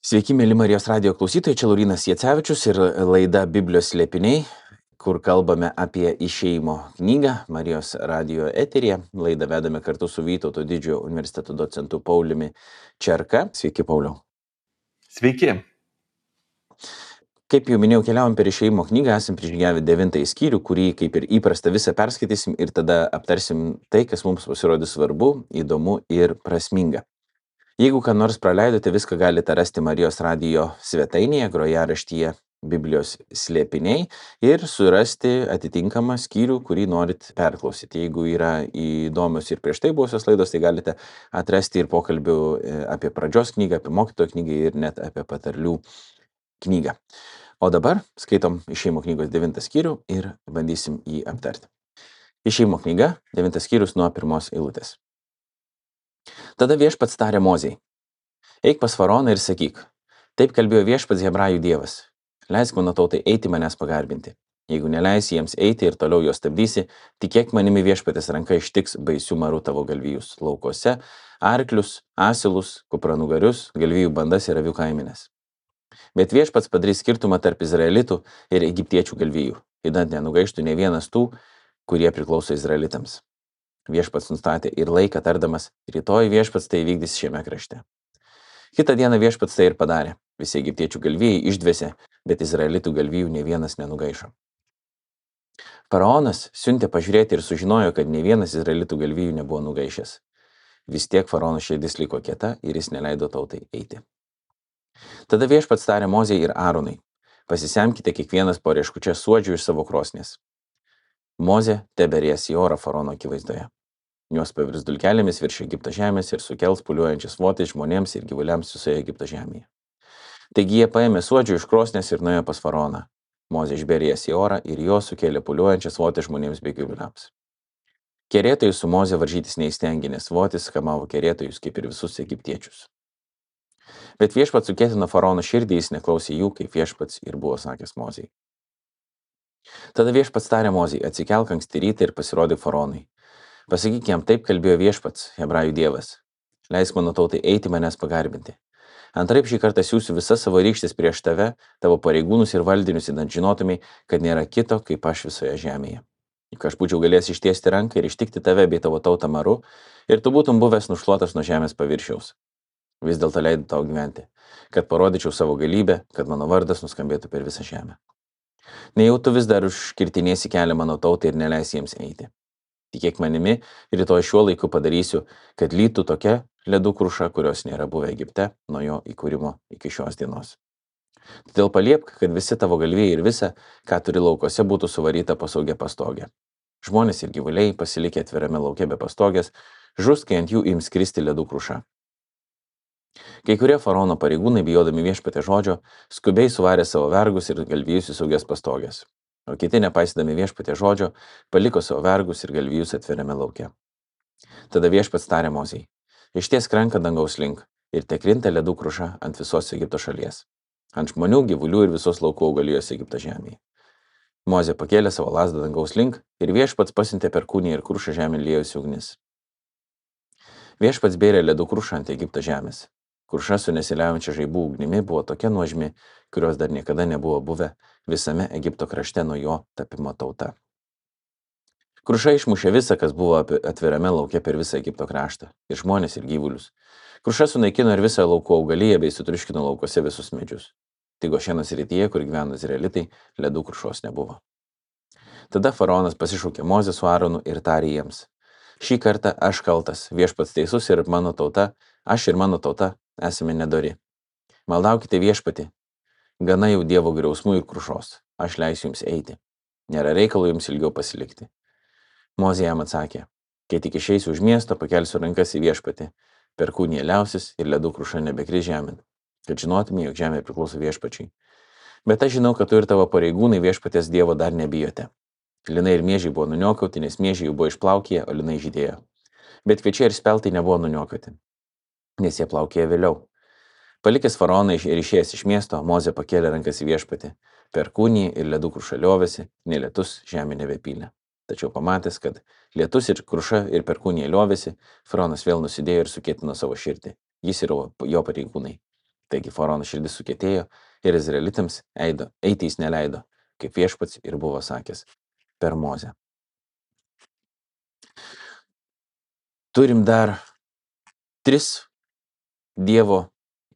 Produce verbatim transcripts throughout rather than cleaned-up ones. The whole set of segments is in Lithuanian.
Sveiki, mėly Marijos radijo klausytojai, čia Laurynas Jacevičius ir laida Biblijos slėpiniai, kur kalbame apie išėjimo knygą Marijos radijo eteryje. Laidą vedame kartu su Vytauto didžiojo universiteto docentu Pauliumi Čerka. Sveiki, Pauliau. Sveiki. Kaip jau minėjau, keliavom per išėjimo knygą, esam prižygiavę devintąjį skyrių, kurį kaip ir įprasta visą perskaitysim ir tada aptarsim tai, kas mums pasirodys svarbu, įdomu ir prasminga. Jeigu ką nors praleidote, viską galite rasti Marijos radijo svetainėje, grojaraštyje Biblijos slėpiniai ir surasti atitinkamą skyrių, kurį norit perklausyti. Jeigu yra įdomios ir prieš tai buvusios laidos, tai galite atrasti ir pokalbių apie pradžios knygą, apie mokytojo knygą ir net apie patarlių knygą. O dabar skaitom Išėjimo knygos devintą skyrių ir bandysim jį aptarti. Išėjimo knyga, devintas skyrius nuo pirmos eilutės. Tada viešpats tarė Mozei: eik pas faraoną ir sakyk, taip kalbėjo viešpats Hebrajų dievas, leisk mano tautai eiti manęs pagarbinti. Jeigu neleisi jiems eiti ir toliau juos stabdysi, tikėk manimi viešpatės ranka ištiks baisių marų tavo galvijus laukuose, arklius, asilus, kupranugarius, galvijų bandas ir avių kaiminės. Bet viešpats padarys skirtumą tarp izraelitų ir egiptiečių galvijų, įdant nenugaištų ne vienas tų, kurie priklauso izraelitams. Viešpats nustatė ir laiką tardamas, rytoj viešpats tai vykdys šiame krašte. Kitą dieną viešpats tai ir padarė. Visi egiptiečių galvijai išdvėsė, bet izraelitų galvijų ne vienas nenugaišo. Faraonas siuntė pažiūrėti ir sužinojo, kad ne vienas izraelitų galvijų nebuvo nugaišęs. Vis tiek faraono širdis liko kieta ir jis neleido tautai eiti. Tada viešpats tarė Mozei ir Aaronui: pasisemkite kiekvienas po rieškučia suodžių iš savo krosnės. Mozė teberės į orą faraono akivaizdoje. Jos pavirs dulkelėmis virš Egipto žemės ir sukels pūliuojančias votis žmonėms ir gyvuliams visoje Egipto žemėje. Taigi jie paėmė suodžių iš krosnės ir nuėjo pas faraoną. Mozė išbėrė jas į orą ir jos sukėlė pūliuojančias votis žmonėms bei gyvuliams. Kerėtojai su Mozė varžytis neįstengė, nes votis kamavo kerėtojus kaip ir visus egiptiečius. Bet viešpats sukėtino faraono širdį, jis neklausė jų, kaip viešpats ir buvo sakęs Mozei. Tada viešpats tarė Mozei: atsikelk anksti rytą ir pasirodyk faraonui. Pasakyk jam, taip kalbėjo viešpats, Hebrajų dievas. Leisk mano tautai eiti manęs pagarbinti. Antraip šį kartą siųsiu visas savo rykštes prieš tave, tavo pareigūnus ir valdinius, įdant žinotumai, kad nėra kito kaip aš visoje žemėje. Juk aš būčiau galėjęs ištiesti ranką ir ištikti tave bei tavo tautą maru, ir tu būtum buvęs nušluotas nuo žemės paviršiaus. Vis dėlto leidau tau gyventi, kad parodyčiau savo galybę, kad mano vardas nuskambėtų per visą žemę. Nejau tu vis dar užkirtinėsi kelią mano tautai ir neleisi jiems eiti. Tikėk manimi, rytoj šiuo laiku padarysiu, kad lytų tokia ledų kruša, kurios nėra buvę Egipte nuo jo įkūrimo iki šios dienos. Todėl paliepk, kad visi tavo galvijai ir visa, ką turi laukose, būtų suvaryta po saugia pastogė. Žmonės ir gyvuliai, pasilikę atvirame lauke be pastogės, žus, kai ant jų ims kristi ledų kruša. Kai kurie faraono pareigūnai, bijodami viešpatės žodžio, skubiai suvarė savo vergus ir galvijus į saugias pastogės, o kiti, nepaisydami viešpatės žodžio, paliko savo vergus ir galvijus atvirame lauke. Tada viešpats tarė Mozei: ištiesk ranką dangaus link ir tekrinta ledų kruša ant visos Egipto šalies, ant žmonių, gyvulių ir visos laukų augalijos Egipto žemėje. Mozė pakėlė savo lazdą dangaus link ir viešpats pasiuntė perkūniją ir krušą žemėn liejosi ugnis. Viešpats bėrė ledų krušą ant Egipto žemės. Kruša su nesiliaujančia žaibų ugnimi buvo tokia nuožmi, kurios dar niekada nebuvo buvę visame Egipto krašte nuo jo tapimo tauta. Kruša išmušė visą, kas buvo atvirame lauke per visą Egipto kraštą, ir žmonės, ir gyvulius. Kruša sunaikino ir visą laukų augaliją bei sutriuškino laukuose visus medžius. Tik Gošeno srityje, kur gyveno izraelitai, ledų krušos nebuvo. Tada faraonas pasišaukė Mozę su Aaronu ir tarė jiems: šį kartą aš kaltas, viešpats teisus ir mano tauta, aš ir mano tauta esame nedori. Maldaukite viešpatį, gana jau Dievo griausmų ir krušos, aš leisiu jums eiti. Nėra reikalo jums ilgiau pasilikti. Mozė jam atsakė: kai tik išeisiu už miesto, pakelsiu rankas į viešpatį, perkūnija liausis ir ledų kruša nebekris žemėn, kad žinotume, jog žemė priklauso viešpačiui. Bet aš žinau, kad tu ir tavo pareigūnai viešpatės Dievo dar nebijote. Linai ir miežiai buvo nuniokauti, nes miežiai jų buvo išplaukėję, o linai žydėjo. Bet kviečiai ir speltai nebuvo nuniokauti, nes jie plaukėjo vėliau. Palikęs faraoną ir išėjęs iš miesto, Mozė pakėlė rankas į viešpatį, perkūnija ir ledų kruša liovėsi, nei lietus žemė nebepylė. Tačiau pamatęs, kad lietus ir kruša ir perkūnija liovėsi, faraonas vėl nusidėjo ir sukėtino savo širdį, jis ir jo pareigūnai. Taigi faraono širdis sukietėjo ir izraelitams eido, eiti jis neleido, kaip viešpats ir buvo sakęs per Mozę. Turim dar tris Dievo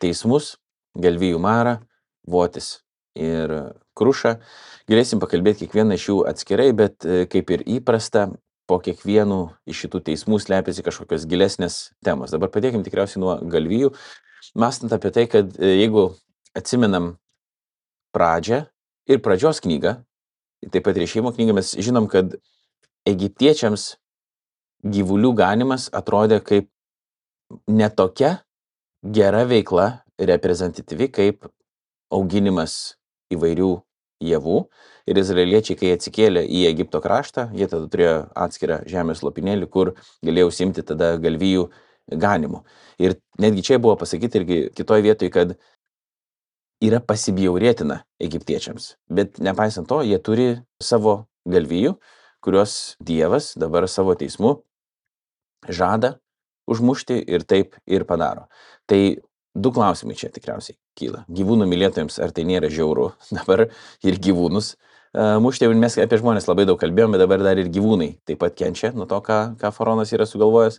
teismus - galvijų marą, votis ir krušą. Galėsim pakalbėti kiekvieną iš jų atskirai, bet kaip ir įprasta, po kiekvienų iš šitų teismų slepiasi kažkokios gilesnės temos. Dabar padėkim tikriausiai nuo galvijų, mąstant apie tai, kad jeigu atsimenam pradžią ir pradžios knygą, taip pat ir Išėjimo knygą, mes žinom, kad egiptiečiams gyvulių ganimas atrodė kaip netokia gera veikla, reprezentatyvi kaip auginimas įvairių javų. Ir izraeliečiai, kai atsikėlė į Egipto kraštą, jie tada turėjo atskirą žemės lopinėlį, kur galėjo užsiimti tada galvijų ganimu. Ir netgi čia buvo pasakyti irgi kitoje vietoje, kad yra pasibjaurėtina egiptiečiams. Bet nepaisant to, jie turi savo galvijų, kuriuos Dievas dabar savo teismu žada užmušti ir taip ir padaro. Tai du klausimai čia tikriausiai kyla. Gyvūnų mylėtojams, ar tai nėra žiauru dabar ir gyvūnus uh, mušti. Mes apie žmonės labai daug kalbėjome, dabar dar ir gyvūnai taip pat kenčia nuo to, ką, ką faraonas yra sugalvojęs.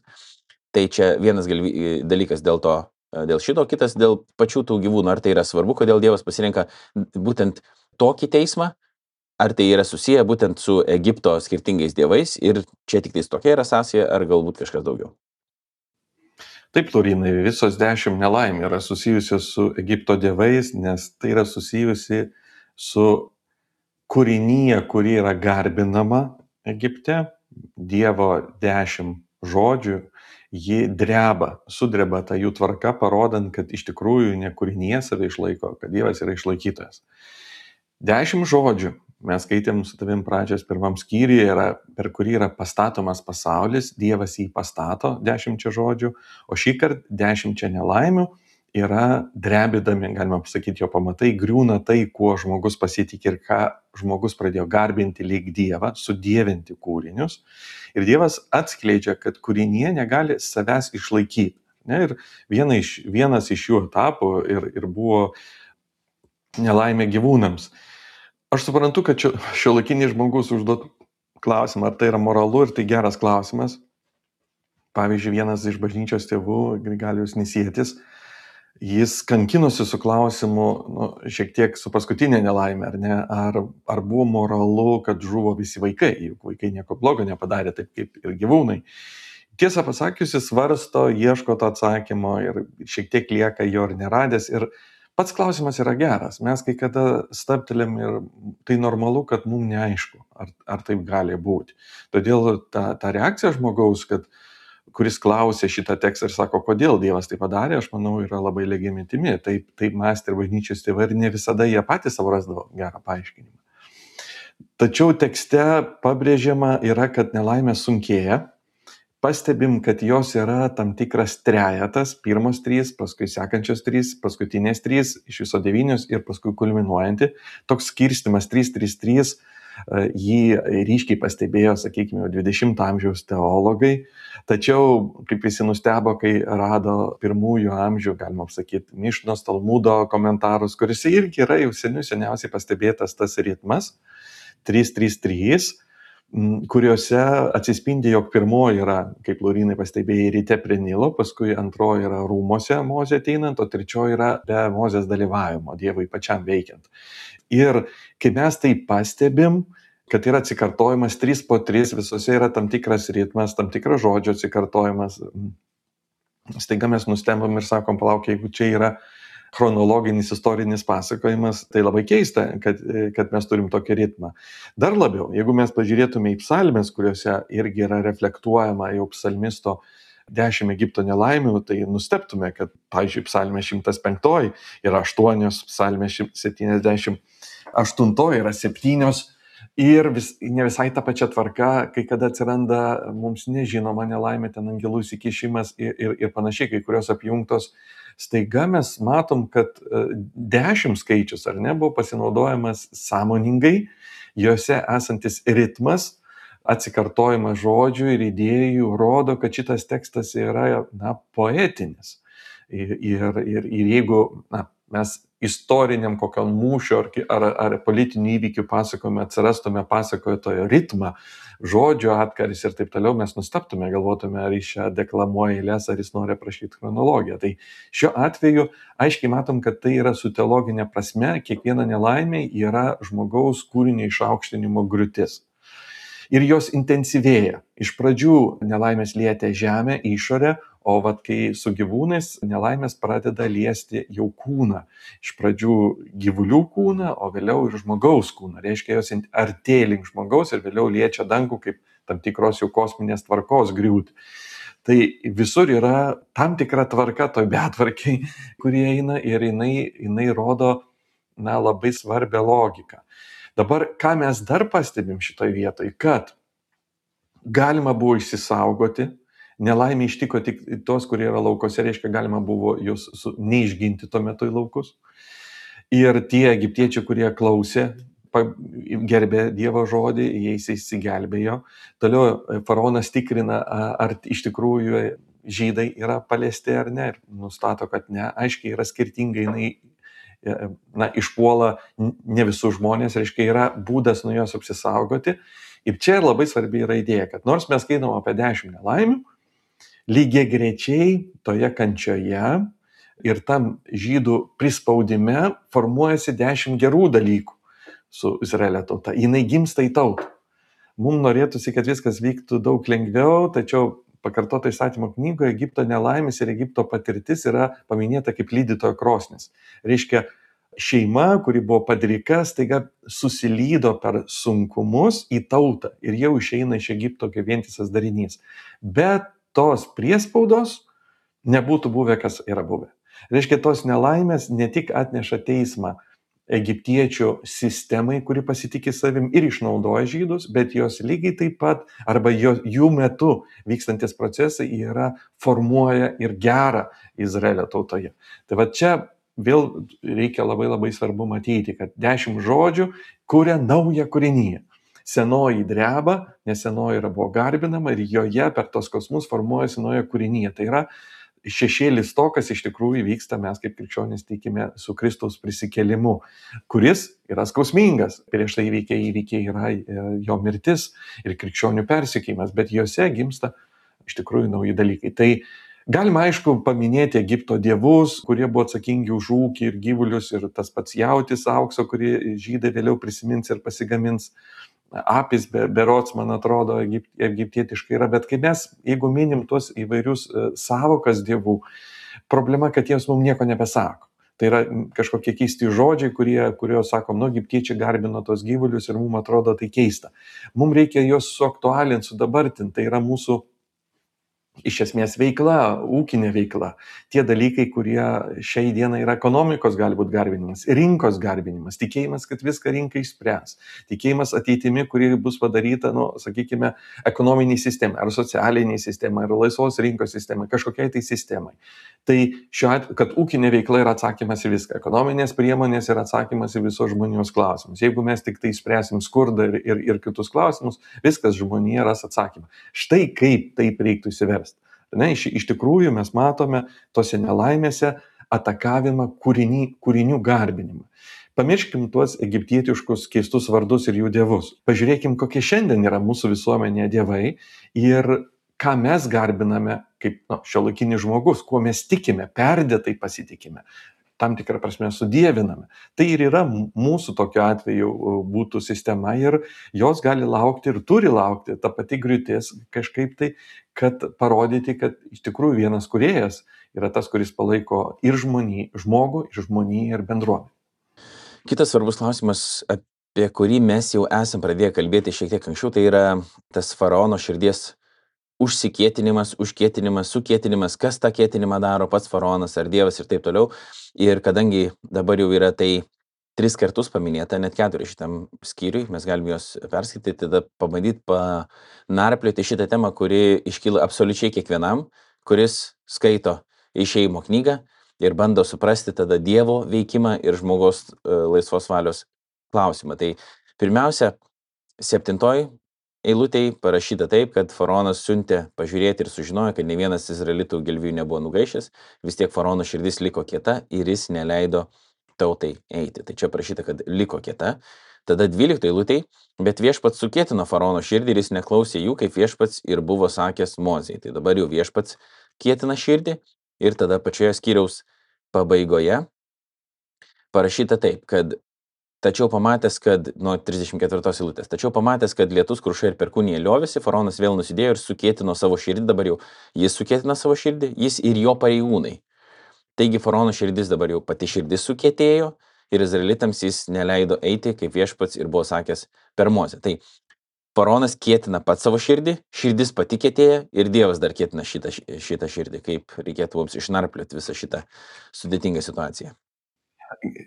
Tai čia vienas galvi, dalykas dėl to, dėl šito, kitas dėl pačių tų gyvūnų. Ar tai yra svarbu, kodėl Dievas pasirenka būtent tokį teismą, ar tai yra susiję būtent su Egipto skirtingais dievais ir čia tik tais tokia yra sąsaja, ar galbūt kažkas daugiau? Taip, Laurinai, visos dešimt nelaimė yra susijusios su Egipto dievais, nes tai yra susijusi su kūrinyje, kuri yra garbinama Egipte. Dievo dešimt žodžių, ji dreba, sudreba tą jų tvarką, parodant, kad iš tikrųjų ne kūrinyje save išlaiko, kad Dievas yra išlaikytojas. Dešimt žodžių. Mes skaitėm su tavim pradžios pirmam skyriuje, yra, per kurį yra pastatomas pasaulis, Dievas jį pastato dešimčia žodžių, o šį kartą dešimčia nelaimių yra drebidami, galima pasakyti, jo pamatai, griūna tai, kuo žmogus pasitikė ir ką žmogus pradėjo garbinti lyg Dievą, sudievinti kūrinius. Ir Dievas atskleidžia, kad kūrinyje negali savęs išlaikyti. Ne? Ir viena iš, vienas iš šių etapų ir, ir buvo nelaimė gyvūnams. Aš suprantu, kad šiuolaikinis žmogus užduot klausimą, ar tai yra moralu, ir tai geras klausimas. Pavyzdžiui, vienas iš bažnyčios tėvų, Grigalius Nisietis, jis kankinosi su klausimu, nu, šiek tiek su paskutinė nelaimė, ar ne, ar, ar buvo moralu, kad žuvo visi vaikai, juk vaikai nieko blogo nepadarė, taip kaip ir gyvūnai. Tiesą pasakius, jis svarsto, ieško to atsakymo ir šiek tiek lieka jo ir neradęs. Ir pats klausimas yra geras. Mes kai kada stabtelėm ir tai normalu, kad mums neaišku, ar, ar taip gali būti. Todėl ta, ta reakcija žmogaus, kad, kuris klausė šitą tekstą ir sako, kodėl Dievas tai padarė, aš manau, yra labai legitimi. Taip, taip mąstė ir bažnyčios tėvai ir ne visada jie patys savo rasdavo gerą paaiškinimą. Tačiau tekste pabrėžiama yra, kad nelaimė sunkėja. Pastebim, kad jos yra tam tikras trejetas, pirmos trys, paskui sekančios trys, paskutinės trys, iš viso devynios ir paskui kulminuojanti. Toks skirstimas trys trys trys, jį ryškiai pastebėjo, sakykime, dvidešimto amžiaus teologai. Tačiau, kaip visi nustebo, kai rado pirmųjų amžių, galima sakyti, Mišnos, Talmudo komentarus, kuriuose irgi yra jau seniau seniausiai pastebėtas tas ritmas trys trys trys, kuriuose atsispindi, jog pirmoji yra, kaip Laurinai pastebėjai, ryte prie Nilo, paskui antroji yra rūmose Mozė ateinant, o trečioji yra be Mozės dalyvavimo, Dievui pačiam veikiant. Ir kai mes tai pastebim, kad yra atsikartojimas trys po trys, visose yra tam tikras ritmas, tam tikras žodžio atsikartojimas, staiga mes nustembam ir sakom, palauk, jeigu čia yra chronologinis istorinis pasakojimas, tai labai keista, kad, kad mes turim tokį ritmą. Dar labiau, jeigu mes pažiūrėtume į psalmes, kuriuose irgi yra reflektuojama jau psalmisto dešimt Egipto nelaimių, tai nustebtume, kad, pavyzdžiui, psalmė šimtas penki yra aštuonios, psalmė septyniasdešimt aštuoni yra septynios ir vis, ne visai ta pačia tvarka, kai kada atsiranda mums nežinoma nelaimė, ten angelų įsikišimas ir, ir, ir panašiai, kai kurios apjungtos. Staiga mes matom, kad dešimt skaičius, ar ne, buvo pasinaudojamas sąmoningai, juose esantis ritmas, atsikartojimas žodžių ir idėjų rodo, kad šitas tekstas yra, na, poetinis. Ir, ir, ir, ir jeigu na, mes istoriniam kokiam mūšio ar, ar, ar politinių įvykių pasakojime atsirastume pasakotojo ritmą, žodžio atkaris ir taip toliau, mes nustaptume, galvotume, ar jis čia deklamuoja eilės, ar jis nori aprašyti chronologiją. Tai šiuo atveju aiškiai matom, kad tai yra su teologinė prasme, kiekviena nelaimė yra žmogaus kūrinio išaukštinimo griūtis. Ir jos intensyvėja. Iš pradžių nelaimės lietė žemę, išorę, o vat kai su gyvūnais nelaimės pradeda liesti jau kūną. Iš pradžių gyvulių kūną, o vėliau ir žmogaus kūną. Reiškia, jos artėja link žmogaus ir vėliau liečia dangų kaip tam tikros jau kosminės tvarkos griūtį. Tai visur yra tam tikra tvarka, toj betvarkiai, kurie eina ir jinai, jinai rodo na, labai svarbią logiką. Dabar, ką mes dar pastebim šitoje vietoje, kad galima buvo išsisaugoti, nelaimė ištiko tik tos, kurie yra laukose, reiškia, galima buvo juos su, neišginti tuo metu į laukus. Ir tie egiptiečiai, kurie klausė, gerbė Dievo žodį, jais įsigelbėjo. Toliau faraonas tikrina, ar iš tikrųjų žydai yra paliesti ar ne, ir nustato, kad ne. Aiškiai yra skirtingai, jinai na, išpuola ne visus žmonės, reiškia, yra būdas nuo jos apsisaugoti. Ir čia labai svarbi yra idėja, kad nors mes skaitom apie dešimt nelaimių, lygiai grečiai toje kančioje ir tam žydų prispaudime formuojasi dešimt gerų dalykų su Izraelio tauta. Jinai gimsta į tautą. Mums norėtųsi, kad viskas vyktų daug lengviau, tačiau pakartota įstatymo knygoje Egipto nelaimės ir Egipto patirtis yra paminėta kaip lydytojo krosnis. Reiškia, šeima, kuri buvo padrika, staiga susilydo per sunkumus į tautą ir jau išeina iš Egipto kaip vientisas darinys. Bet tos priespaudos nebūtų buvę, kas yra buvę. Reiškia, tos nelaimės ne tik atneša teismą egiptiečių sistemai, kuri pasitikė savim ir išnaudoja žydus, bet jos lygiai taip pat, arba jo, jų metu vykstantis procesai yra formuoja ir gerą Izraelio tautoje. Tai va čia vėl reikia labai labai svarbu matyti, kad dešimt žodžių kuria naują kūrinyje. Senoji dreba, nes senoji yra buvo garbinama ir joje per tos kosmus formuojasi nauja kūrinyje. Tai yra šešėlis to, kas iš tikrųjų vyksta, mes kaip krikščionys tikime su Kristaus prisikėlimu, kuris yra skausmingas. Prieš tai įvykiai, įvykiai yra jo mirtis ir krikščionių persekėjimas, bet juose gimsta iš tikrųjų nauji dalykai. Tai galima aišku paminėti Egipto dievus, kurie buvo atsakingi už ūkį ir gyvulius, ir tas pats jautis aukso, kurį žydai vėliau prisimins ir pasigamins. Apis berods, man atrodo, egiptietiškai yra, bet kai mes, jeigu minim tuos įvairius savokas dievų, problema, kad jiems mums nieko nebesako. Tai yra kažkokie keisti žodžiai, kurie, kuriuos sakom, nu, egiptiečiai garbino tos gyvulius ir mums atrodo tai keista. Mums reikia juos suaktualinti, sudabartinti, tai yra mūsų iš esmės veikla, ūkinė veikla. Tie dalykai, kurie šiai dienai yra ekonomikos gali būti garbinimas, rinkos garbinimas, tikėjimas, kad viską rinka išspręs, tikėjimas ateitimi, kuri bus padaryta, nu, sakykime, ekonominiai sistemai, ar socialiniai sistemai, ar laisvos rinkos sistemai, kažkokiai tai sistemai. Tai šiuo atveju, kad ūkinė veikla yra atsakymas į viską, ekonominės priemonės yra atsakymas į visos žmonijos klausimus. Jeigu mes tik tai spręsim skurdą ir, ir, ir kitus klausimus, viskas žmonija ras atsakymą. Štai kaip taip reiktų įsiversti. Ne, iš, iš tikrųjų mes matome tose nelaimėse atakavimą kūriny, kūrinių garbinimą. Pamirškim tuos egiptietiškus keistus vardus ir jų dievus. Pažiūrėkim, kokie šiandien yra mūsų visuomenėje dievai ir ką mes garbiname kaip nu, šiuolaikinis žmogus, kuo mes tikime, perdėtai pasitikime, tam tikrą prasme sudieviname. Tai ir yra mūsų tokiu atveju būtų sistema ir jos gali laukti ir turi laukti ta pati griūtis kažkaip tai, kad parodyti, kad iš tikrųjų vienas kūrėjas yra tas, kuris palaiko ir žmonį, žmogų, ir žmoniją, ir bendruomenę. Kitas svarbus klausimas, apie kurį mes jau esam pradėję kalbėti šiek tiek anksčiau, tai yra tas faraono širdies užsikietinimas, užkietinimas, sukietinimas, kas tą kietinimą daro, pats faraonas ar dievas ir taip toliau. Ir kadangi dabar jau yra tai tris kartus paminėta, net keturi šitam skyriui, mes galime juos perskaityti, tada pabandyti panarplioti šitą temą, kuri iškyla absoliučiai kiekvienam, kuris skaito Išėjimo knygą ir bando suprasti tada Dievo veikimą ir žmogaus laisvos valios klausimą. Tai pirmiausia, septintoji eilutėj parašyta taip, kad faraonas siuntė pažiūrėti ir sužinojo, kad ne vienas izraelitų galvijų nebuvo nugaišęs, vis tiek faraono širdis liko kieta ir jis neleido tautai eiti. Tai čia parašyta, kad liko kieta. Tada dvyliktoje eilutėj, bet viešpats sukietino faraono širdį ir jis neklausė jų, kaip viešpats ir buvo sakęs Mozei. Tai dabar jau viešpats kietina širdį ir tada pačioje skyriaus pabaigoje parašyta taip, kad tačiau pamatęs, kad, nuo trisdešimt ketvirtos eilutės, tačiau pamatęs, kad lietus, kruša ir perkūnija liovėsi, faraonas vėl nusidėjo ir sukietino savo širdį, dabar jau jis sukietino savo širdį, jis ir jo pareigūnai. Taigi faraono širdis dabar jau pati širdis sukietėjo ir izraelitams jis neleido eiti, kaip viešpats ir buvo sakęs per Mozę. Tai faraonas kietina pat savo širdį, širdis pati kietėja ir Dievas dar kietina šitą, šitą širdį, kaip reikėtų mums išnarplioti visą šitą sudėtingą situaciją.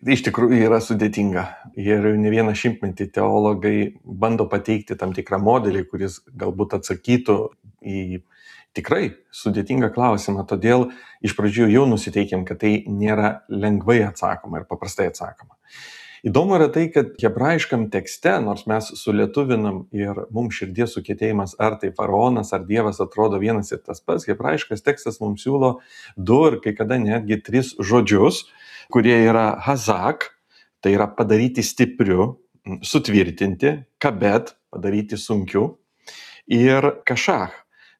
Iš tikrųjų yra sudėtinga ir ne vieną šimtmetį teologai bando pateikti tam tikrą modelį, kuris galbūt atsakytų į tikrai sudėtingą klausimą, todėl iš pradžių jau nusiteikėm, kad tai nėra lengvai atsakoma ir paprastai atsakoma. Įdomu yra tai, kad hebrajiškam tekste, nors mes sulietuvinam ir mums širdies sukietėjimas, ar tai faraonas, ar Dievas atrodo vienas ir tas pats, hebrajiškas tekstas mums siūlo du ir kai kada netgi tris žodžius, kurie yra hazak, tai yra padaryti stipriu, sutvirtinti, kabet, padaryti sunkiu, ir kašach,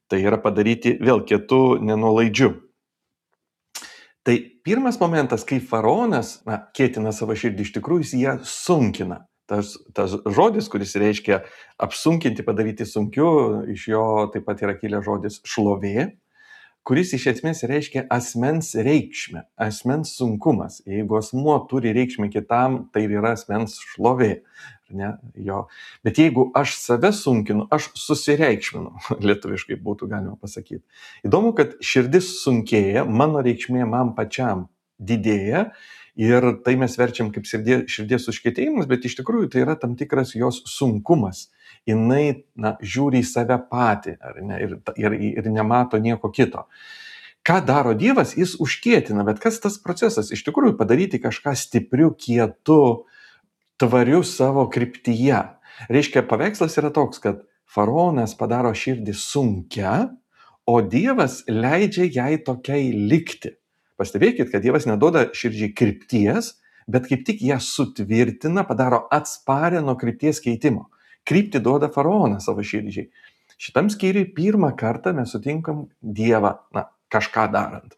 tai yra padaryti vėl kietu, nenuolaidžiu. Tai pirmas momentas, kai faraonas na, kietina savo širdį, iš tikrųjų jis ją sunkina. Tas, tas žodis, kuris reiškia apsunkinti, padaryti sunkiu, iš jo taip pat yra kilęs žodis šlovė, kuris iš esmės reiškia asmens reikšmę, asmens sunkumas. Jeigu asmuo turi reikšmę kitam, tai yra asmens šlovė. Ne, jo. Bet jeigu aš save sunkinu, aš susireikšminu, lietuviškai būtų galima pasakyti. Įdomu, kad širdis sunkėja, mano reikšmė man pačiam didėja ir tai mes verčiam kaip širdies, širdies užkietėjimas, bet iš tikrųjų tai yra tam tikras jos sunkumas. Jinai na, žiūri į save patį ar ne, ir, ir, ir nemato nieko kito. Ką daro Dievas? Jis užkietina, bet kas tas procesas? Iš tikrųjų padaryti kažką stipriu, kietu, tvariu savo kryptyje. Reiškia, paveikslas yra toks, kad faraonas padaro širdį sunkia, o Dievas leidžia jai tokiai likti. Pastebėkit, kad Dievas neduoda širdžiai krypties, bet kaip tik ją sutvirtina, padaro atsparę nuo krypties keitimo. Kryptį duoda faraonas savo širdžiai. Šitam skyriui pirmą kartą mes sutinkam Dievą, na, kažką darant.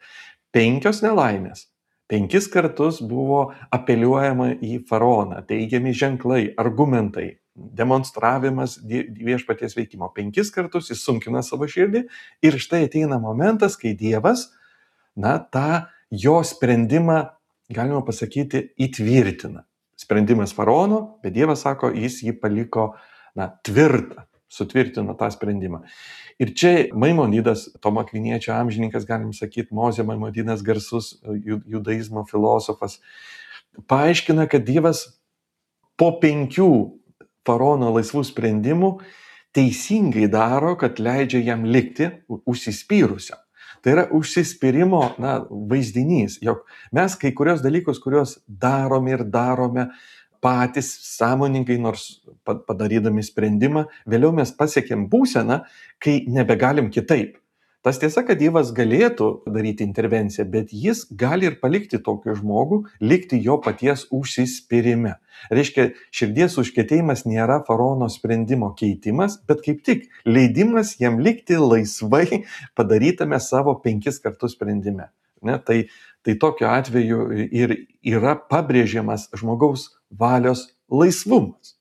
Penkios nelaimės. Penkis kartus buvo apeliuojama į faraoną, teigiami ženklai, argumentai, demonstravimas viešpaties veikimo. Penkis kartus jis sunkina savo širdį ir štai ateina momentas, kai Dievas, na, tą jo sprendimą, galima pasakyti, įtvirtina. Sprendimas faraono, bet Dievas sako, jis jį paliko na, tvirtą, sutvirtino tą sprendimą. Ir čia Maimonidas, Tomo Akviniečio amžininkas, galim sakyti, Mozė Maimonidas, garsus judaizmo filosofas, paaiškina, kad Dievas po penkių faraono laisvų sprendimų teisingai daro, kad leidžia jam likti užsispyrusiam. Tai yra užsispyrimo na, vaizdinys, jog mes kai kurios dalykus, kuriuos darome ir darome, patys sąmoningai, nors padarydami sprendimą, vėliau mes pasiekėm būseną, kai nebegalim kitaip. Tas tiesa, kad Dievas galėtų daryti intervenciją, bet jis gali ir palikti tokį žmogų, likti jo paties užsispyrime. Reiškia, širdies užkietėjimas nėra faraono sprendimo keitimas, bet kaip tik leidimas jam likti laisvai padarytame savo penkis kartus sprendime. Ne, tai, tai tokiu atveju ir yra pabrėžiamas žmogaus valios laisvumas.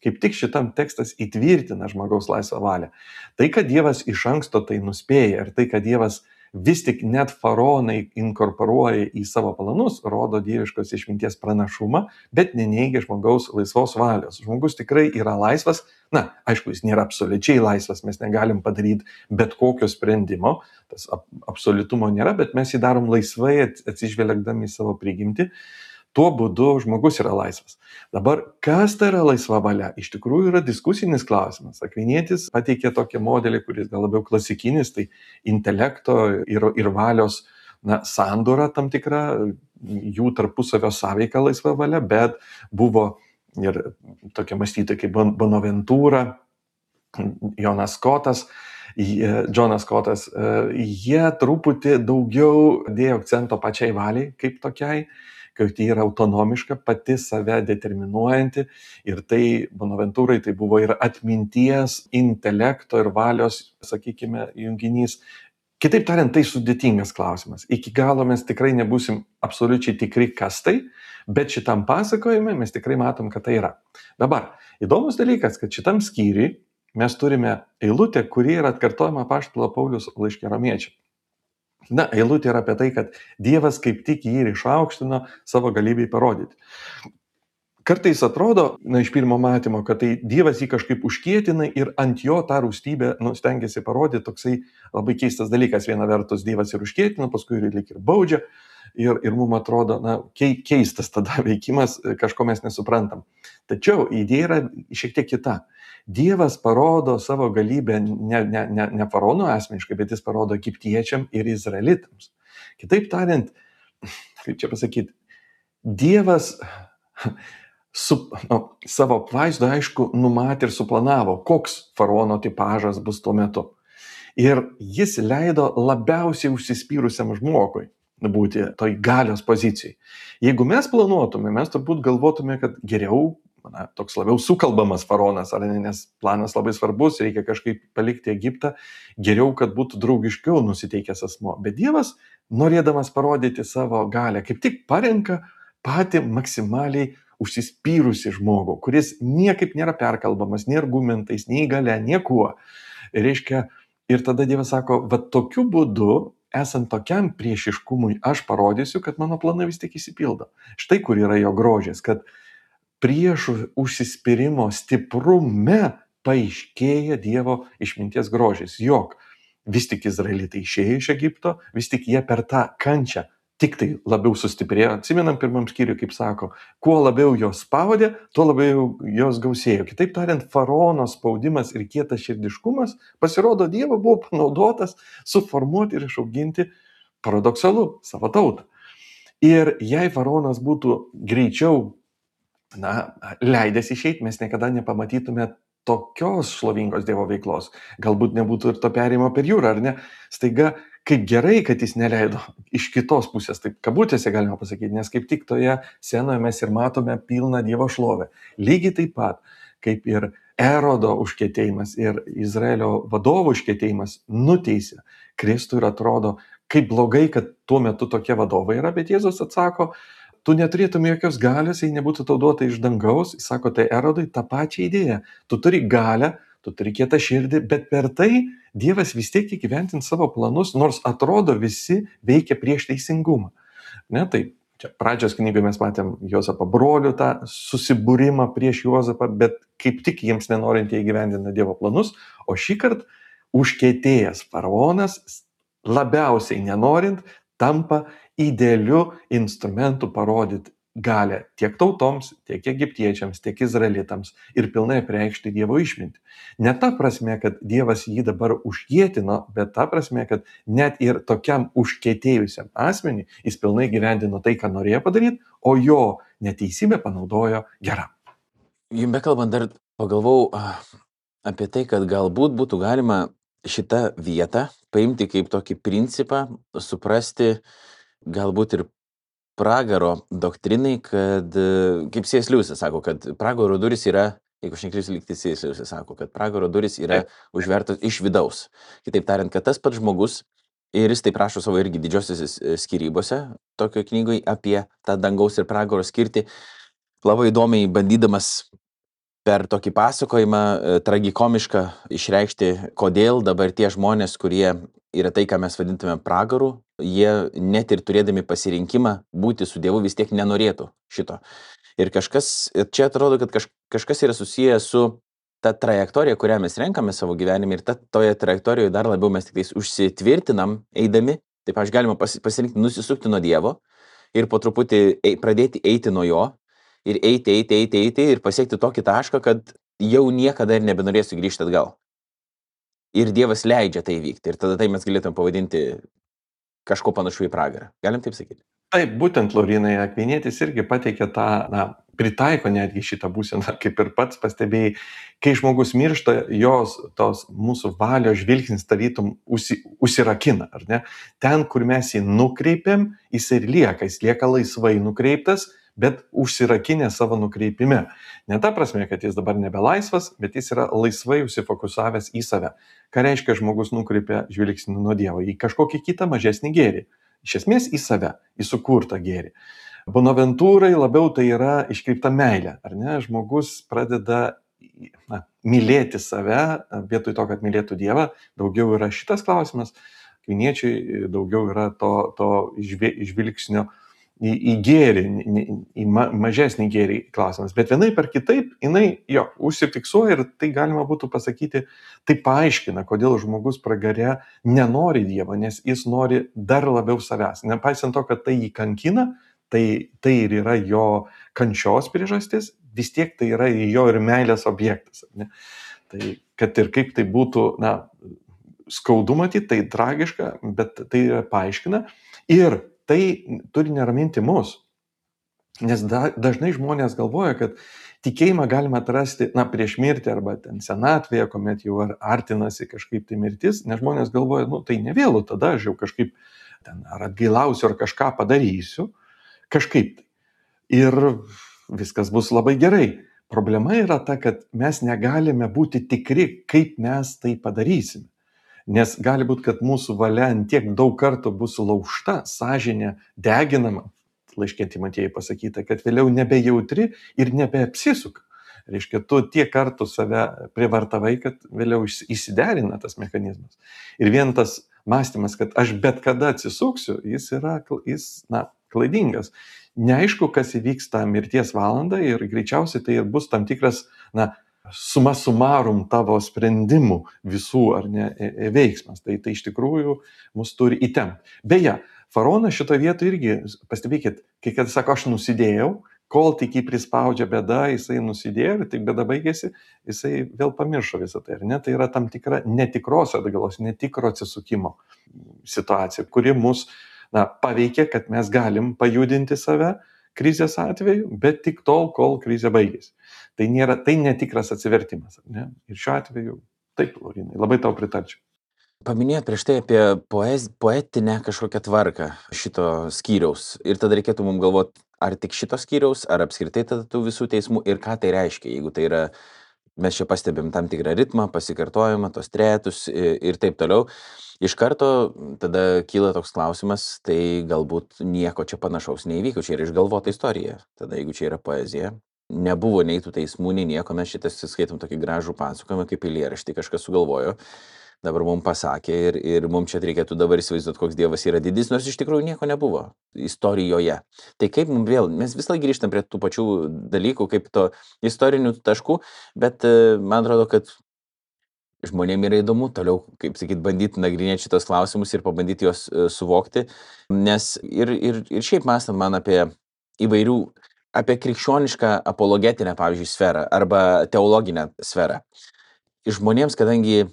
Kaip tik šitam tekstas įtvirtina žmogaus laisvą valią. Tai, kad Dievas iš anksto tai nuspėja ir tai, kad Dievas vis tik net faraonai inkorporuoja į savo planus, rodo dieviškos išminties pranašumą, bet neneigia žmogaus laisvos valios. Žmogus tikrai yra laisvas, na, aišku, jis nėra absoliučiai laisvas, mes negalim padaryti bet kokio sprendimo, tas absoliutumo nėra, bet mes jį darom laisvai atsižvelgdami į savo prigimtį. Tuo būdu žmogus yra laisvas. Dabar, kas tai yra laisva valia? Iš tikrųjų yra diskusinis klausimas. Akvinietis pateikė tokį modelį, kuris gal labiau klasikinis, tai intelekto ir, ir valios na, sandūra tam tikra, jų tarpusavio sąveika laisva valia, bet buvo ir tokia mąstytoja kaip Bonaventūra, Jonas Skotas, jie- Džonas Skotas, e, jie truputį daugiau dėjo akcento pačiai valiai kaip tokiai, kad ji yra autonomiška, pati save determinuojanti ir tai Bonaventūrai tai buvo ir atminties, intelekto ir valios, sakykime, junginys. Kitaip tariant, tai sudėtingas klausimas. Iki galo mes tikrai nebūsim absoliučiai tikri, kas tai, bet šitam pasakojime mes tikrai matom, kad tai yra. Dabar, įdomus dalykas, kad šitam skyriui mes turime eilutę, kuri yra atkartojama apaštalo Pauliaus laiške Romiečiams. Na, eilutė yra apie tai, kad Dievas kaip tik jį ir išaukštino savo galybei parodyti. Kartais atrodo, na, iš pirmo matymo, kad tai Dievas jį kažkaip užkietina ir ant jo tą rūstybę, nu, stengiasi parodyti, toksai labai keistas dalykas. Viena vertus Dievas ir užkietina, paskui ir lyg ir baudžia. Ir, ir mums atrodo, na, kei- keistas tada veikimas, kažko mes nesuprantam. Tačiau idėja yra šiek tiek kita. Dievas parodo savo galybę ne, ne, ne, ne faraono asmeniškai, bet jis parodo egiptiečiam ir izraelitams. Kitaip tariant, kaip čia pasakyti, Dievas su, nu, savo apvaizdu, aišku, numatė ir suplanavo, koks faraono tipažas bus tuo metu. Ir jis leido labiausiai užsispyrusiam žmogui būti toj galios pozicijai. Jeigu mes planuotume, mes turbūt galvotume, kad geriau, na, toks labiau sukalbamas faraonas, ar ne, nes planas labai svarbus, reikia kažkaip palikti Egiptą, geriau, kad būtų draugiškiau nusiteikęs asmo. Bet Dievas, norėdamas parodyti savo galę, kaip tik parenka patį maksimaliai užsispyrusi žmogų, kuris niekaip nėra perkalbamas, nei argumentais, nei gale, niekuo. Reiškia, ir tada Dievas sako, va tokiu būdu, esant tokiam priešiškumui, aš parodysiu, kad mano planai vis tik įsipildo. Štai kur yra jo grožis, kad priešų užsispyrimo stiprume paaiškėja Dievo išminties grožis. Jog vis tik izraelitai išėjo iš Egipto, vis tik jie per tą kančią tik tai labiau sustiprėjo. Atsimenam pirmam skyriui, kaip sako, kuo labiau jos spaudė, tuo labiau jos gausėjo. Kitaip tariant, faraono spaudimas ir kietas širdiškumas, pasirodo, Dievo buvo panaudotas suformuoti ir išauginti, paradoksalu, savo tautą. Ir jei faraonas būtų greičiau, na, leidęs išeiti, mes niekada nepamatytume tokios šlovingos Dievo veiklos. Galbūt nebūtų ir to perėjimo per jūrą, ar ne? Staiga, kaip gerai, kad jis neleido iš kitos pusės, taip kabutėse galima pasakyti, nes kaip tik toje scenoje mes ir matome pilną Dievo šlovę. Lygiai taip pat, kaip ir Erodo užkietėjimas ir Izraelio vadovų užkietėjimas nuteisė Kristų ir atrodo, kaip blogai, kad tuo metu tokie vadovai yra, bet Jėzus atsako, tu neturėtum jokios galios, jei nebūtų tau duota iš dangaus. Jis sako, tai Erodui tą pačią idėją. Tu turi galią, tu turi kietą širdį, bet per tai Dievas vis tiek įgyventins savo planus, nors atrodo visi veikia prieš teisingumą. Ne, tai čia pradžios knygoje mes matėm Jozapą brolių tą susibūrimą prieš Jozapą, bet kaip tik jiems nenorint jie įgyvendina Dievo planus, o šį kartą užkietėjęs faraonas labiausiai nenorint tampa idealiu instrumentu parodyti galę tiek tautoms, tiek egiptiečiams, tiek izraelitams ir pilnai apreikšti Dievo išmintį. Ne ta prasme, kad Dievas jį dabar užkietino, bet ta prasme, kad net ir tokiam užkietėjusiam asmenį jis pilnai gyvendino tai, ką norėjo padaryti, o jo neteisybę panaudojo geram. Jums bekalbant dar pagalvau ah, apie tai, kad galbūt būtų galima šitą vietą paimti kaip tokį principą, suprasti galbūt ir pragaro doktrinai, kad, e, kaip C S Lewisas sako, kad pragaro duris yra, jeigu aš neklysiu, lyg tai C S Lewisas sako, kad pragaro duris yra užvertos iš vidaus. Kitaip tariant, kad tas pats žmogus, ir jis taip rašo savo irgi didžiosiuose skyrybose, tokio knygoje apie tą dangaus ir pragaro skirtį, labai įdomiai bandydamas per tokį pasakojimą e, tragikomišką išreikšti, kodėl dabar tie žmonės, kurie yra tai, ką mes vadintume pragaru, jie net ir turėdami pasirinkimą būti su Dievu vis tiek nenorėtų šito. Ir kažkas, ir čia atrodo, kad kaž, kažkas yra susijęs su ta trajektorija, kurią mes renkame savo gyvenime, ir ta, toje trajektorijoje dar labiau mes tik tais užsitvirtinam eidami. Taip aš galima pas, pasirinkti nusisukti nuo Dievo ir po truputį ei, pradėti eiti nuo jo ir eiti, eiti, eiti, eiti ir pasiekti tokį tašką, kad jau niekada ir nebenorėsiu grįžti atgal. Ir Dievas leidžia tai vykti. Ir tada tai mes galėtume pavadinti kažko panašu į pragarą. Galim taip sakyti? Taip, būtent Laurinai Akvinietis irgi pateikė tą, na, pritaiko netgi šitą būseną, kaip ir pats pastebėjai. Kai žmogus miršta, jos tos mūsų valios žvilgsnis tarytum užsi, užsirakina, ar ne? Ten, kur mes jį nukreipiam, jis ir lieka, jis lieka laisvai nukreiptas, bet užsirakinę savo nukreipime. Ne ta prasme, kad jis dabar nebelaisvas, bet jis yra laisvai užsifokusavęs į save. Ką reiškia žmogus nukreipia žvilgsnį nuo Dievo? Į kažkokį kitą mažesnį gėrį. Iš esmės į save, į sukurtą gėrį. Bonaventūrai labiau tai yra iškreipta meilė, ar ne? Žmogus pradeda na, mylėti save, vietoj to, kad mylėtų Dievą. Daugiau yra šitas klausimas. Kviniečiai daugiau yra to, to žvilgsnio į, į gėrį, į ma, mažesnį gėrį klausimas. Bet vienaip ar kitaip, jinai jo užsifiksuoja ir tai galima būtų pasakyti, tai paaiškina, kodėl žmogus pragare nenori Dievo, nes jis nori dar labiau savęs. Nepaisant to, kad tai jį kankina, tai, tai ir yra jo kančios priežastis, vis tiek tai yra jo ir meilės objektas. Ne? Tai kad ir kaip tai būtų, na, skaudu matyti, tai tragiška, bet tai paaiškina. Ir tai turi neraminti mus. Nes da, dažnai žmonės galvoja, kad tikėjimą galima atrasti, na, prieš mirtį arba ten senatvėje, kuomet jau artinasi kažkaip tai mirtis, nes žmonės galvoja, nu, tai ne vėlu, tada aš jau kažkaip ten ar atgailausiu, ar kažką padarysiu, kažkaip tai. Ir viskas bus labai gerai. Problema yra ta, kad mes negalime būti tikri, kaip mes tai padarysime. Nes gali būti, kad mūsų valia tiek daug kartų bus laužta, sąžinė deginama, laiške Timotiejui pasakyta, kad vėliau nebejautri ir nebeapsisuka. Reiškia, tu tiek kartų save privartavai, kad vėliau įsiderina tas mechanizmas. Ir vien tas mąstymas, kad aš bet kada atsisuksiu, jis yra jis, na, klaidingas. Neaišku, kas įvyks tą mirties valandą ir greičiausiai tai ir bus tam tikras, na, suma sumarum tavo sprendimų visų ar ne veiksmas. Tai, tai iš tikrųjų mus turi įtempti. Beje, faraonas šitoje vietoje irgi, pastebėkit, kai kad sako, aš nusidėjau, kol tik jį prispaudžia bėda, jisai nusidėjo ir tik bėda baigėsi, jisai vėl pamiršo visą tai. Ar ne? Tai yra tam tikra netikros atgalos, netikro atsisukimo situacija, kuri mus na, paveikia, kad mes galim pajudinti save krizės atveju, bet tik tol, kol krizė baigėsi. Tai nėra, tai netikras atsivertimas. Ne? Ir šiuo atveju, taip, Laurinai, labai tau pritarčiau. Paminėjot prieš tai apie poez, poetinę kažkokią tvarką šito skyriaus. Ir tada reikėtų mums galvoti, ar tik šito skyriaus, ar apskritai tada tų visų teismų ir ką tai reiškia. Jeigu tai yra, mes čia pastebim tam tikrą ritmą, pasikartojimą, tos trejetus ir taip toliau. Iš karto tada kyla toks klausimas, tai galbūt nieko čia panašaus neįvyko, čia yra išgalvota istorija. Tada jeigu čia yra poezija, nebuvo nei tų teismų, nei nieko, mes šitas skaitom tokį gražų pasakojimą, kaip eilėraštį kažkas sugalvojo, dabar mums pasakė ir, ir mums čia reikėtų dabar įsivaizduoti, koks Dievas yra didis, nors iš tikrųjų nieko nebuvo istorijoje. Tai kaip mums vėl, mes vis laik grįžtam prie tų pačių dalykų, kaip to istorinių taškų, bet man atrodo, kad žmonėm yra įdomu toliau, kaip sakyt, bandyti nagrinėti šitos klausimus ir pabandyti juos suvokti, nes ir, ir, ir šiaip mąstam man apie įvairių, apie krikščionišką apologetinę, pavyzdžiui, sferą arba teologinę sferą. Žmonėms, kadangi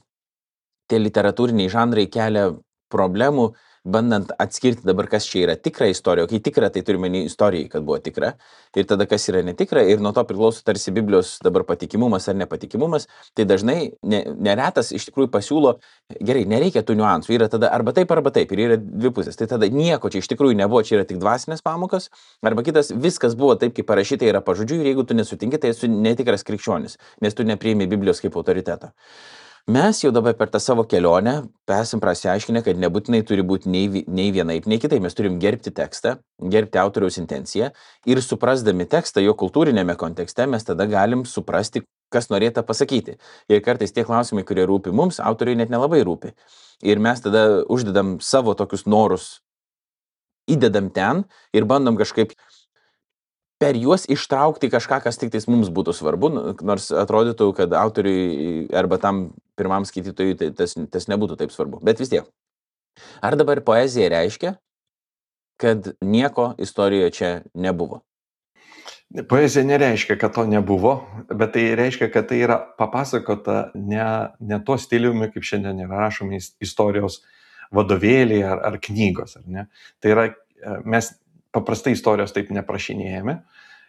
tie literatūriniai žanrai kelia problemų, bandant atskirti dabar, kas čia yra tikra istorija, o kai tikra, tai turime ne istorijai, kad buvo tikra, ir tada kas yra netikra, ir nuo to priklauso tarsi Biblijos dabar patikimumas ar nepatikimumas, tai dažnai ne, neretas iš tikrųjų pasiūlo, gerai, nereikia tų niuansų, yra tada arba taip, arba taip, ir yra dvi pusės, tai tada nieko čia iš tikrųjų nebuvo, čia yra tik dvasinės pamokos, arba kitas, viskas buvo taip, kaip parašyta yra pažodžiui, ir jeigu tu nesutinki, tai esi netikras krikščionis, nes tu nepriimi Biblijos kaip autoriteto. Mes jau dabar per tą savo kelionę esam prasiaiškinę, kad nebūtinai turi būti nei, nei vienaip, nei kitaip. Mes turim gerbti tekstą, gerbti autoriaus intenciją ir suprasdami tekstą jo kultūrinėme kontekste, mes tada galim suprasti, kas norėta pasakyti. Ir kartais tie klausimai, kurie rūpi mums, autoriui net nelabai rūpi. Ir mes tada uždedam savo tokius norus, įdedam ten ir bandom kažkaip per juos ištraukti kažką, kas tik tais mums būtų svarbu, nors atrodytų, kad autoriui arba tam pirmam skaitytojui tai tas, tas nebūtų taip svarbu. Bet vis tiek. Ar dabar poezija reiškia, kad nieko istorijoje čia nebuvo? Poezija nereiškia, kad to nebuvo, bet tai reiškia, kad tai yra papasakota ne, ne tuo stiliumi, kaip šiandien yra rašomi istorijos vadovėliai ar, ar knygos. Ar ne? Tai yra, mes paprastai istorijos taip neprašinėjame.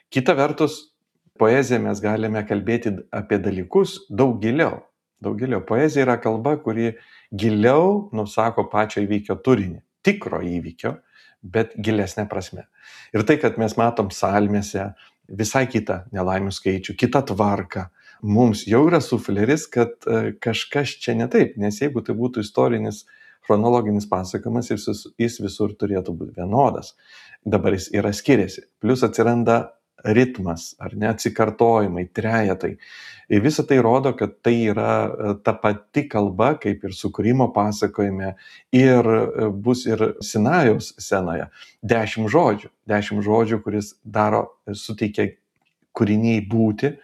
Kita vertus, poeziją mes galime kalbėti apie dalykus daug giliau. Daug giliau. Poezija yra kalba, kuri giliau nusako pačio įvykio turinį, tikro įvykio, bet gilesnė prasme. Ir tai, kad mes matom psalmėse visai kitą nelaimių skaičių, kitą tvarką, mums jau yra sufleris, kad kažkas čia ne taip, nes jeigu tai būtų istorinis, chronologinis pasakojimas, jis, jis visur turėtų būti vienodas. Dabar jis yra skiriasi. Plius atsiranda ritmas, ar ne, atsikartojimai, trejetai. Ir visa tai rodo, kad tai yra ta pati kalba, kaip ir sukūrimo pasakojime, ir bus ir Sinajaus scenoje. Dešimt žodžių. Dešimt žodžių, kuris daro, suteikia kūriniai būti,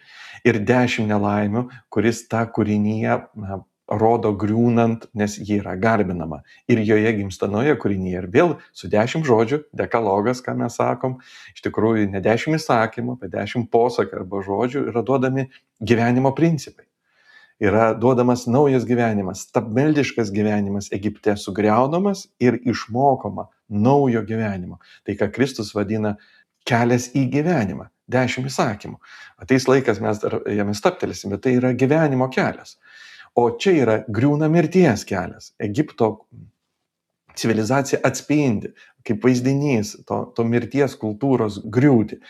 ir dešimt nelaimių, kuris tą kūrinyje na, rodo griūnant, nes ji yra garbinama. Ir joje gimsta nauja kūrinyje. Ir vėl su dešimt žodžių, dekalogas, ką mes sakom, iš tikrųjų ne dešimt įsakymų, bet dešimt posakų arba žodžių yra duodami gyvenimo principai. Yra duodamas naujas gyvenimas, stabmeldiškas gyvenimas Egipte sugriaunamas ir išmokoma naujo gyvenimo. Tai, ką Kristus vadina kelias į gyvenimą, dešimt įsakymų. Ateis laikas, mes dar jame stabtelėsim, bet tai yra gyvenimo kelias. O čia yra griūna mirties kelias. Egipto civilizacija atspindi, kaip vaizdinys to, to mirties kultūros griūti.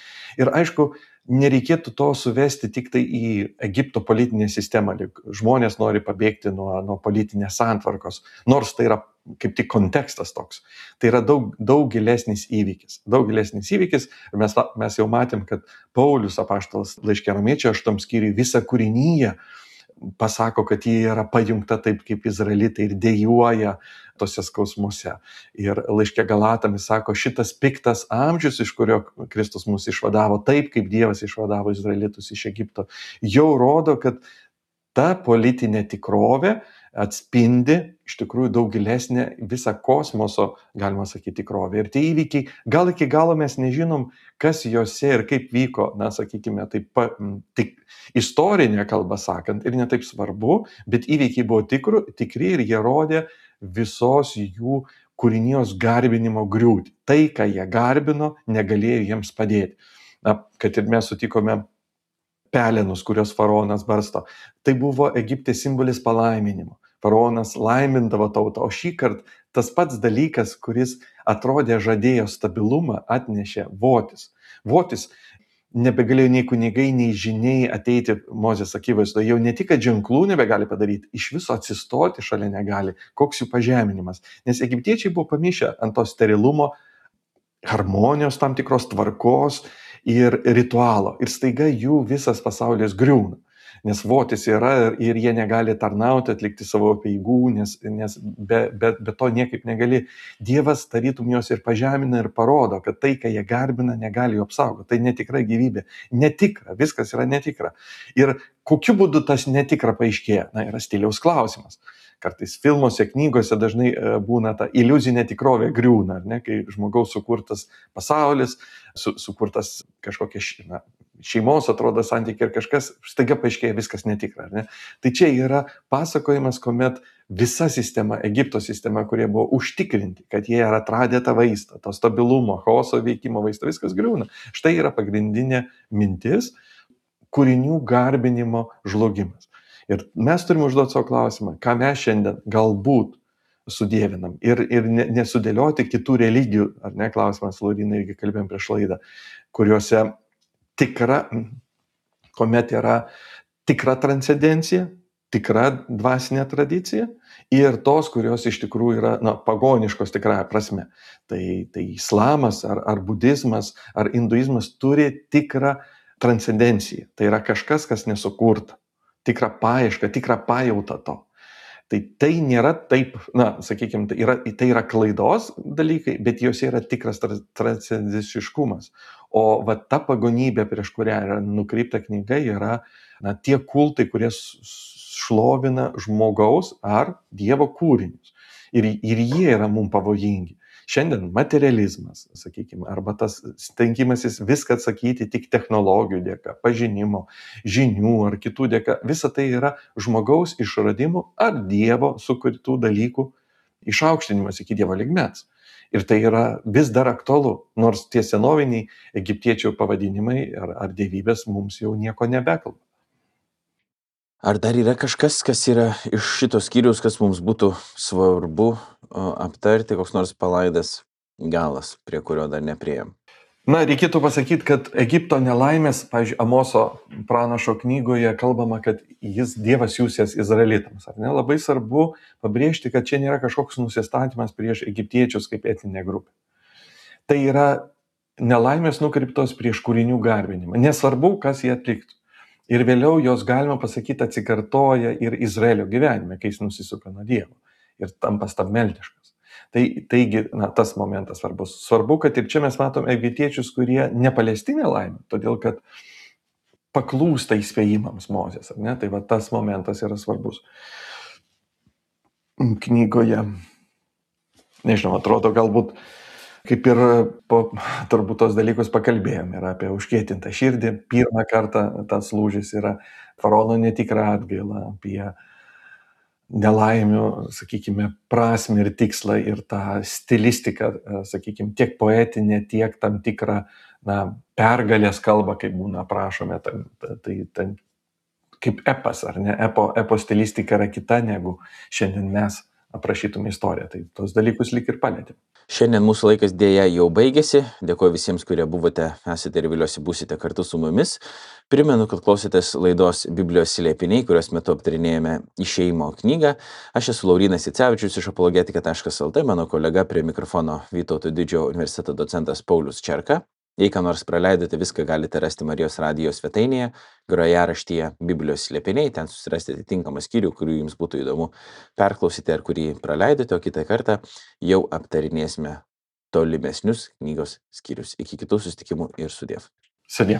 Ir aišku, nereikėtų to suvesti tik tai į Egipto politinę sistemą. Žmonės nori pabėgti nuo, nuo politinės santvarkos, nors tai yra kaip tik kontekstas toks. Tai yra daug, daug gilesnis įvykis. Daug gilesnis įvykis. Ir mes, mes jau matėm, kad Paulius apaštalas laiške Romiečiams aštuntam skyriui visą kūrinyje pasako, kad jie yra pajungta taip kaip izraelitai ir dejuoja tose skausmuose. Ir laiške Galatams sako, šitas piktas amžius, iš kurio Kristus mus išvadavo, taip kaip Dievas išvadavo izraelitus iš Egipto, jau rodo, kad ta politinė tikrovė atspindi iš tikrųjų daug gilesnę visą kosmoso, galima sakyti, tikrovę. Ir tie įvykiai, gal iki galo mes nežinom, kas juose ir kaip vyko, na, sakykime, taip, tik istorinė kalba sakant, ir netaip svarbu, bet įvykiai buvo tikru, tikri ir jie rodė visos jų kūrinijos garbinimo griūtį. Tai, ką jie garbino, negalėjo jiems padėti. Na, kad ir mes sutikome pelenus, kurios faraonas barsto. Tai buvo Egipte simbolis palaiminimo. Faraonas laimindavo tautą, o šį kartą tas pats dalykas, kuris atrodė žadėjo stabilumą, atnešė votis. Votis nebegalėjo nei kunigai, nei žiniai ateiti Mozės akivaizdoje. Jau ne tik, kad ženklų nebegali padaryti, iš viso atsistoti šalia negali. Koks jų pažeminimas. Nes egiptiečiai buvo pamišę ant to sterilumo, harmonijos tam tikros tvarkos ir ritualo. Ir staiga jų visas pasaulis griūna. Nes votis yra ir jie negali tarnauti, atlikti savo peigų, nes, nes be, be, be to niekaip negali. Dievas tarytum juos ir pažemina ir parodo, kad tai, ką jie garbina, negali jų apsaugoti. Tai netikra gyvybė. Netikra, viskas yra netikra. Ir kokiu būdu tas netikra paaiškėja? Na, yra stiliaus klausimas. Kartais filmuose, knygose dažnai būna ta iliuzinė tikrovė griūna, ar ne? Kai žmogaus sukurtas pasaulis, su, sukurtas kažkokia na, šeimos, atrodo, santykiai ir kažkas, staiga paaiškėja viskas netikra. Ar ne? Tai čia yra pasakojimas, kuomet visa sistema, Egipto sistema, kurie buvo užtikrinti, kad jie yra atradę tą vaistą, to stabilumo, chaoso veikimo vaistą, viskas griūna. Štai yra pagrindinė mintis, kūrinių garbinimo žlugimas. Ir mes turime užduoti savo klausimą, ką mes šiandien galbūt sudievinam ir, ir nesudėlioti kitų religijų, ar ne, klausimas, Lauryna, irgi kalbėjom prieš laidą, kuriuose tikra, kuomet yra tikra transcendencija, tikra dvasinė tradicija ir tos, kurios iš tikrųjų yra na, pagoniškos tikrąja prasme. Tai, tai islamas ar, ar budizmas ar hinduizmas turi tikrą transcendenciją. Tai yra kažkas, kas nesukurta. Tikrą paiešką, tikrą pajautą to. Tai tai nėra taip, na, sakykime, tai yra, tai yra klaidos dalykai, bet jose yra tikras transcendenciškumas. O va ta pagonybė, prieš kurią yra nukreipta knyga, yra na, tie kultai, kurie šlovina žmogaus ar Dievo kūrinius. Ir, ir jie yra mums pavojingi. Šiandien materializmas, sakykime, arba tas stengimasis viską atsakyti tik technologijų dėka, pažinimo, žinių ar kitų dėka, visa tai yra žmogaus išradimų ar Dievo sukurtų dalykų išaukštinimas iki Dievo lygmens. Ir tai yra vis dar aktualu, nors tie senoviniai egiptiečių pavadinimai ar, ar dievybės mums jau nieko nebekalba. Ar dar yra kažkas, kas yra iš šito skyriaus, kas mums būtų svarbu o, aptarti, koks nors palaidas galas, prie kurio dar nepriejom? Na, reikėtų pasakyti, kad Egipto nelaimės, pavyzdžiui, Amoso pranašo knygoje kalbama, kad jis Dievas siūsės izraelitams. Ar ne? Labai svarbu pabrėžti, kad čia nėra kažkoks nusistatymas prieš egiptiečius kaip etninė grupė. Tai yra nelaimės nukreiptos prieš kūrinių garbinimą. Nesvarbu, kas jie atliktų. Ir vėliau jos, galima pasakyti, atsikartoja ir Izraelio gyvenime, kai jis nusisuka nuo Dievo ir tampa stabmeldiškas. Tai, taigi, na, tas momentas svarbus. Svarbu, kad ir čia mes matom egiptiečius, kurie nepalesti nelaimė, todėl kad paklūsta įspėjimams Mozės, ar ne? Tai va tas momentas yra svarbus. Knygoje, nežinau, atrodo galbūt, kaip ir po turbūt tos dalykus pakalbėjom, yra apie užkietintą širdį. Pirmą kartą tas lūžis yra faraono netikra atgaila, apie nelaimių, sakykime, prasmę ir tikslą ir tą stilistiką, sakykime, tiek poetinę, tiek tam tikrą, na, pergalės kalbą, kaip būna aprašome, tai, tai, tai kaip epas, ar ne, epo, epo stilistika yra kita negu šiandien mes aprašytume istoriją, tai tos dalykus lyg ir palėtėm. Šiandien mūsų laikas dėja jau baigėsi. Dėkuoju visiems, kurie buvote, esate ir vėliausiai būsite kartu su mumis. Primenu, kad klausėtės laidos Biblijos slėpiniai, kurios metu aptarinėjame Išėjimo knygą. Aš esu Laurynas Icevičius iš apologetika taškas lt, mano kolega prie mikrofono Vytauto Didžiojo universiteto docentas Paulius Čerka. Jei ką nors praleidote, viską galite rasti Marijos radijo svetainėje, grojaraštyje Biblijos slėpiniai, ten susirasti atitinkamą skyrių, kurių jums būtų įdomu perklausyti ar kurį praleidote, o kitą kartą jau aptarinėsime tolimesnius knygos skyrius. Iki kitų susitikimų ir sudiev. Sudie.